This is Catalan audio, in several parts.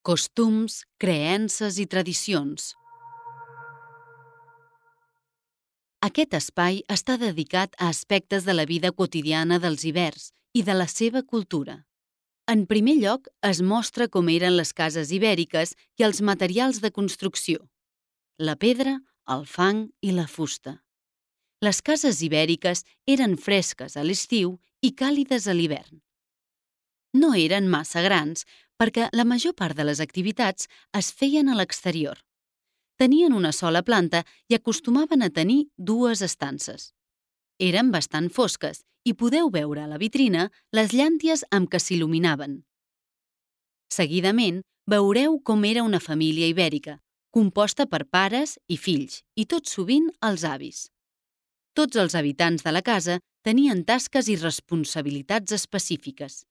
Costums, creences i tradicions. Aquest espai està dedicat a aspectes de la vida quotidiana dels ibers i de la seva cultura. En primer lloc, es mostra com eren les cases ibèriques i els materials de construcció: la pedra, el fang i la fusta. Les cases ibèriques eren fresques a l'estiu i càlides a l'hivern. No eren massa grans perquè la major part de les activitats es feien a l'exterior. Tenien una sola planta i acostumaven a tenir dues estances. Eren bastant fosques i podeu veure a la vitrina les llànties amb què s'il·luminaven. Seguidament, veureu com era una família ibèrica, composta per pares i fills, i tot sovint els avis. Tots els habitants de la casa tenien tasques i responsabilitats específiques.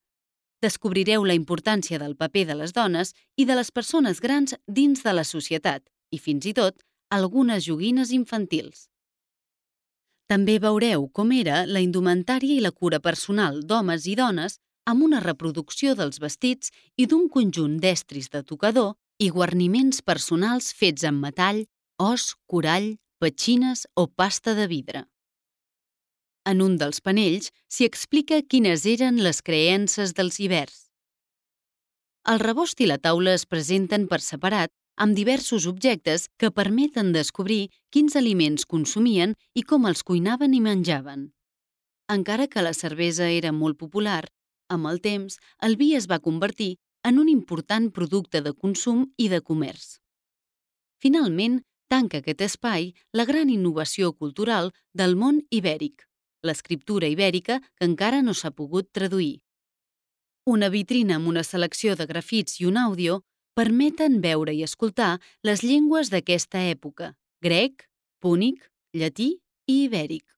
Descobrireu la importància del paper de les dones i de les persones grans dins de la societat i, fins i tot, algunes joguines infantils. També veureu com era la indumentària i la cura personal d'homes i dones amb una reproducció dels vestits i d'un conjunt d'estris de tocador i guarniments personals fets amb metall, os, corall, petxines o pasta de vidre. En un dels panells s'hi explica quines eren les creences dels ibers. El rebost i la taula es presenten per separat amb diversos objectes que permeten descobrir quins aliments consumien i com els cuinaven i menjaven. Encara que la cervesa era molt popular, amb el temps el vi es va convertir en un important producte de consum i de comerç. Finalment, tanca aquest espai la gran innovació cultural del món ibèric, l'escriptura ibèrica que encara no s'ha pogut traduir. Una vitrina amb una selecció de grafits i un àudio permeten veure i escoltar les llengües d'aquesta època: grec, púnic, llatí i ibèric.